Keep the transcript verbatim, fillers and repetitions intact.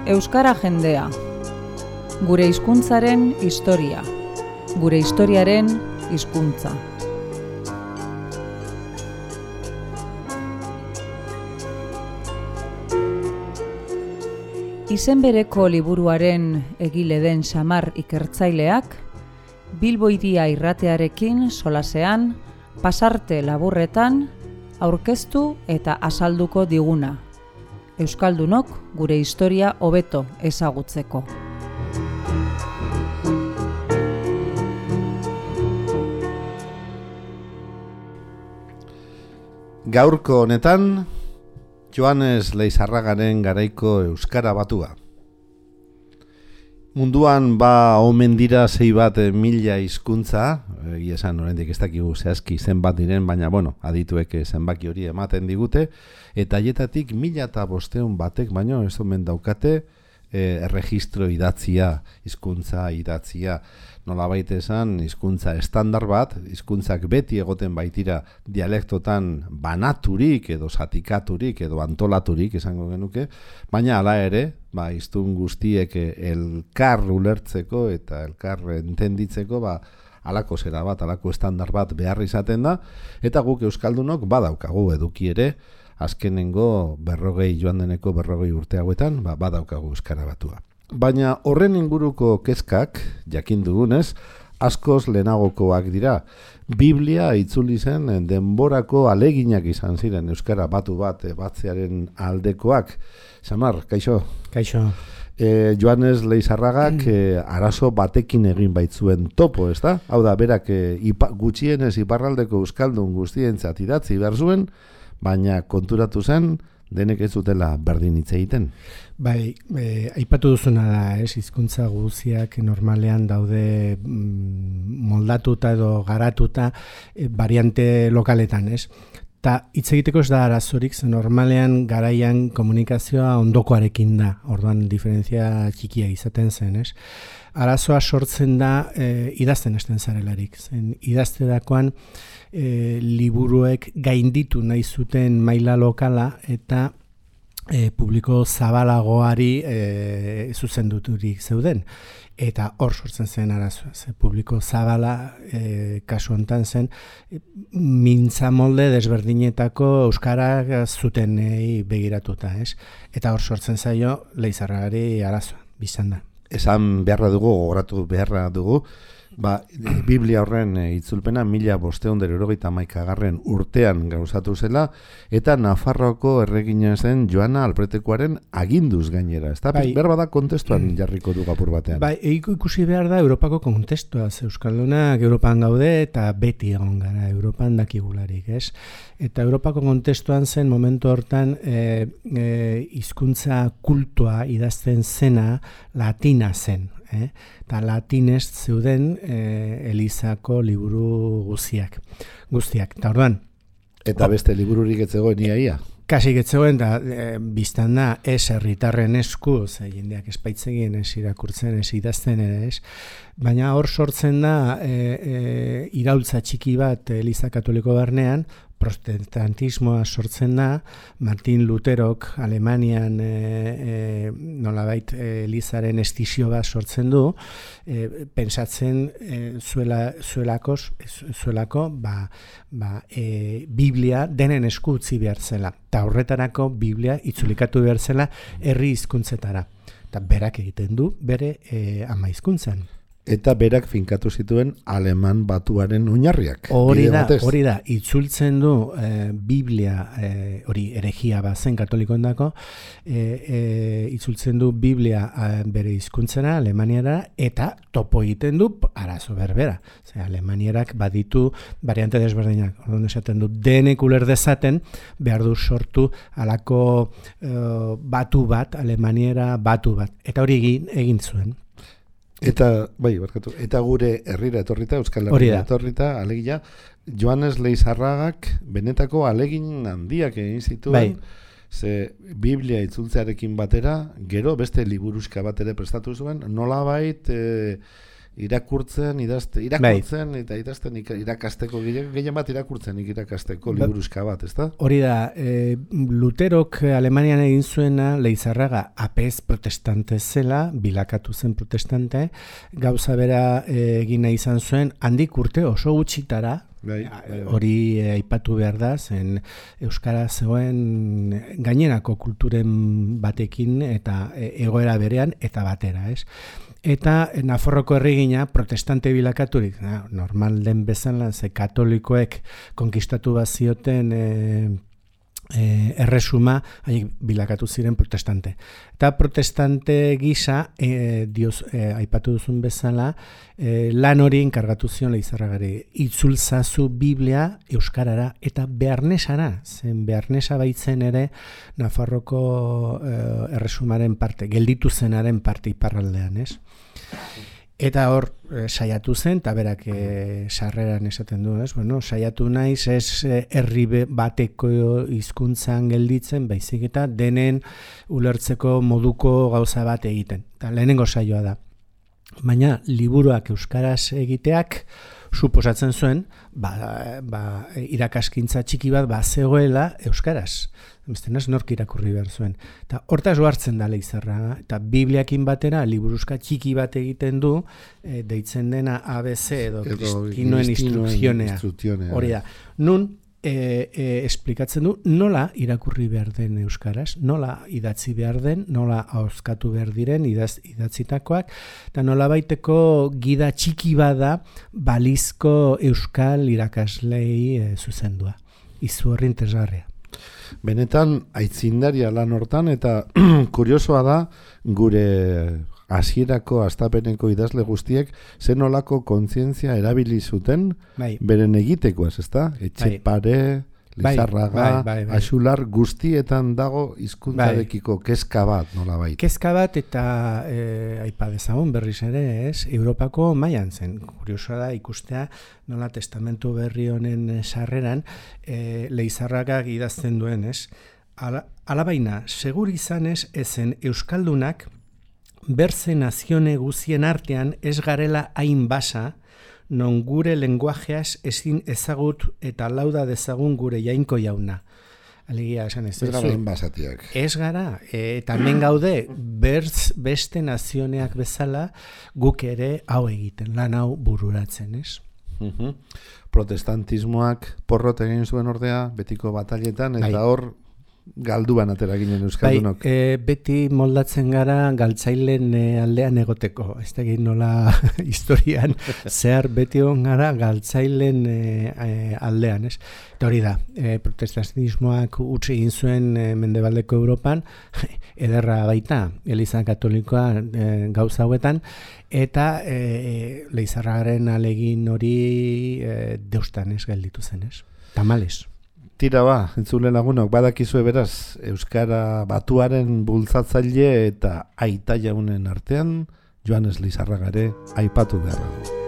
Euskara jendea. Gure hizkuntzaren historia. Gure historiaren hizkuntza. Izen bereko liburuaren egile den Xamar ikertzaileak, Bilbo Hiria irratearekin solasean, pasarte laburretan, aurkeztu eta azalduko diguna. Euskaldunok gure historia hobeto ezagutzeko. Gaurko honetan, Joanes Leizarragaren garaiko euskara batua. Munduan ba omen dira sei bat mila hizkuntza, egia esan oraindik ez dakigu zehazki zenbat diren, baina bueno, adituek zenbaki hori ematen digute, eta haietatik mila eta bostehun batek baino ez omen daukate e, erregistro idatzia, hizkuntza idatzia. Nolabait esan, hizkuntza estandar bat, hizkuntzak beti egoten baitira dialektotan banaturik edo zatikaturik edo antolaturik esango genuke, baina hala ere, ba, hiztun guztiek elkar ulertzeko eta elkar entenditzeko, ba, halako zera bat, halako estandar bat behar izaten da, eta guk euskaldunok badaukagu eduki ere, azkenengo berrogei joan deneko berrogei urte hauetan, ba, badaukagu euskara batua. Baina horren inguruko kezkak, jakin dugunez, askoz lehenagokoak dira. Biblia itzuli zen denborako aleginak izan ziren euskara batu bat batzearen aldekoak. Xamar, kaixo? Kaixo. E, Joanes Leizarragak e, arazo batekin egin baitzuen topo, ezta? Hau da, berak e, ipa, gutxienez iparraldeko euskaldun guztientzat idatzi behar zuen, baina konturatu zen, denek ez zutela berdin hitz egiten. Bai, e, aipatu duzuna da, ez, hizkuntza guztiak normalean daude mm, moldatuta edo garatuta e, variante lokaletan, ez? Ta hitz egiteko ez da arazorik, ze normalean garaian komunikazioa ondokoarekin da, orduan diferentzia txikia izaten zen, ez? Arazoa sortzen da e, idazten hasten zarelarik, zen idazterakoan e, liburuek gainditu nahi zuten maila lokala eta e, publiko zabalagoari e, zuzenduturik zeuden. Eta hor sortzen zen arazoa, ze publiko zabala e, kasu hontan zen e, mintza molde desberdinetako euskara zutenei begiratuta, ez? Eta hor sortzen zaio Leizarragari arazoa, bizan da. Esan beharra dugu, gogoratu beharra dugu, ba, Biblia horren itzulpena mila bostehun eta hirurogeita hamaikagarren urtean gauzatu zela, eta Nafarroako erregina zen Joana Alpretekoaren aginduz gainera. Ez da, bai, berba da kontestuan jarriko du apur batean. Bai, ikusi behar da Europako kontestua, Euskaldunak Europan gaude eta beti egon gara Europan dakigularik, ez? Eta Europako kontestuan zen momentu hortan e, e, hizkuntza kultua idazten zena latina zen. Eh? Eta latinez zeuden eh, Elizako liburu guztiak. Guztiak. Ta orduan. Eta beste libururik ez zegoen iaia? Kasi ez zegoen, da e, biztan da ez herritarren esku, ze jendeak espaitzegien ez irakurtzen, ez idazten ere ez. Baina hor sortzen da e, e, iraultza txiki bat Eliza Katoliko barnean, protestantismoa sortzen da, Martin Luterok Alemanian e, e, nolabait Elizaren estizio bat sortzen du, e, pensatzen e, zuela, zuelakos, zuelako ba, ba, e, Biblia denen esku utzi behar zela. Eta horretarako Biblia itzulikatu behar zela herri hizkuntzetara. Eta berak egiten du bere e, ama hizkuntzan. Eta berak finkatu zituen aleman batuaren oinarriak. Hori da, hori da, itzultzen du e, Biblia, e, hori eregia bazen katolikoendako, e, e, itzultzen du Biblia a, bere hizkuntzara, alemaniara, eta topo egiten du arazo berbera. Ze alemanierak baditu variante desberdinak. Orduan esaten du, denek uler dezaten, behar du sortu alako e, batu bat, alemaniera batu bat. Eta hori egin, egin zuen. Eta, bai, barkatu, eta gure herrira etorrita, Euskal Herrira etorrita, alegia, Joanes Leizarragak benetako alegin handiak egin zituen, bai. Ze Biblia itzultzearekin batera, gero beste liburuska bat ere prestatu zuen, nolabait e, irakurtzen, idazte, irakurtzen bai. Eta idazten irakasteko, gehien bat irakurtzen irakasteko liburuzka bat, ezta? Hori da, e, Luterok Alemanian egin zuena, Leizarraga apez protestante zela, bilakatu zen protestante, gauza bera e, egina izan zuen, handik urte oso gutxitara, bai, bai, hori bai. Aipatu behar da, zen euskara zegoen gainerako kulturen batekin eta egoera berean eta batera, ez? Eta Nafarroko erregina protestante bilakaturik, na, normal den bezala, ze katolikoek konkistatu bazioten e, e, erresuma, haiek bilakatu ziren protestante. Eta protestante gisa, e, dioz, e, aipatu duzun bezala, e, lan hori enkargatu zion Leizarragari. Itzulzazu Biblia euskarara eta bearnesara, zen bearnesa baitzen ere Nafarroko e, erresumaren parte, gelditu zenaren parte iparraldean, ez? Eta hor e, saiatu zen, eta berak e, sarreran esaten du, ez? Bueno, saiatu naiz ez herri bateko hizkuntzan gelditzen, baizik eta denen ulertzeko moduko gauza bat egiten. Eta lehenengo saioa da. Baina liburuak euskaraz egiteak suposatzen zuen, ba, ba, irakaskintza txiki bat ba zegoela euskaraz. Bestenaz nork irakurri behar zuen. Eta hortaz hartzen da Leizarraga, eta Bibliakin batera liburuzka txiki bat egiten du, e, deitzen dena A B C edo Kristinoen instrukzionea. Hori da. Nun, e, e, esplikatzen du nola irakurri behar den euskaraz, nola idatzi behar den, nola ahozkatu behar diren idaz, idatzitakoak, eta nola baiteko gida txiki bada balizko euskal irakaslei e, zuzendua. Izu horri interesgarria. Benetan, aitzindaria lan hortan, eta kuriosoa da, gure hasierako astapeneko idazle guztiek, zen olako kontzientzia erabili zuten, bai. Beren egitekoaz, ezta? Etxepare, bai. Leizarraga, bai, bai, bai. Axular, guztietan dago hizkuntzarekiko bai. Kezka bat, nola baita. Kezka bat eta e, aipa dezagun berriz ere, ez? Europako mailan zen. Kuriosoa da ikustea nola testamentu berri honen sarreran e, Leizarragak idazten duen, ez? Ala, alabaina, segur izanez ezen euskaldunak berze nazione guzien artean ez garela hain basa, non gure lenguajeaz ezin ezagut eta lauda dezagun gure jainko jauna. Alegia esan ez. Ez gara enbasatiak. Ez gara, eta hemen gaude berz beste nazioneak bezala guk ere hau egiten, lan hau bururatzen, ez? Uh-huh. Protestantismoak porrot egin zuen ordea, betiko bataletan, eta hor galduan atera ginen euskaldunok. Bai, e, beti moldatzen gara galtzailen e, aldean egoteko. Ez da egin nola historian zehar beti on gara galtzailen e, e, aldean, ez? Eta hori da, e, protestantismoak utzi egin zuen e, Mendebaldeko Europan, ederra baita, Eliza Katolikoa e, gauza hauetan, eta e, Leizarragaren alegin hori e, deustan ez gelditu zen, ez? Tamales. Tira ba, entzule lagunok, badakizue beraz, Euskara Batuaren bultzatzaile eta aita jaunen artean, Joanes Leizarraga ere aipatu behar dugu.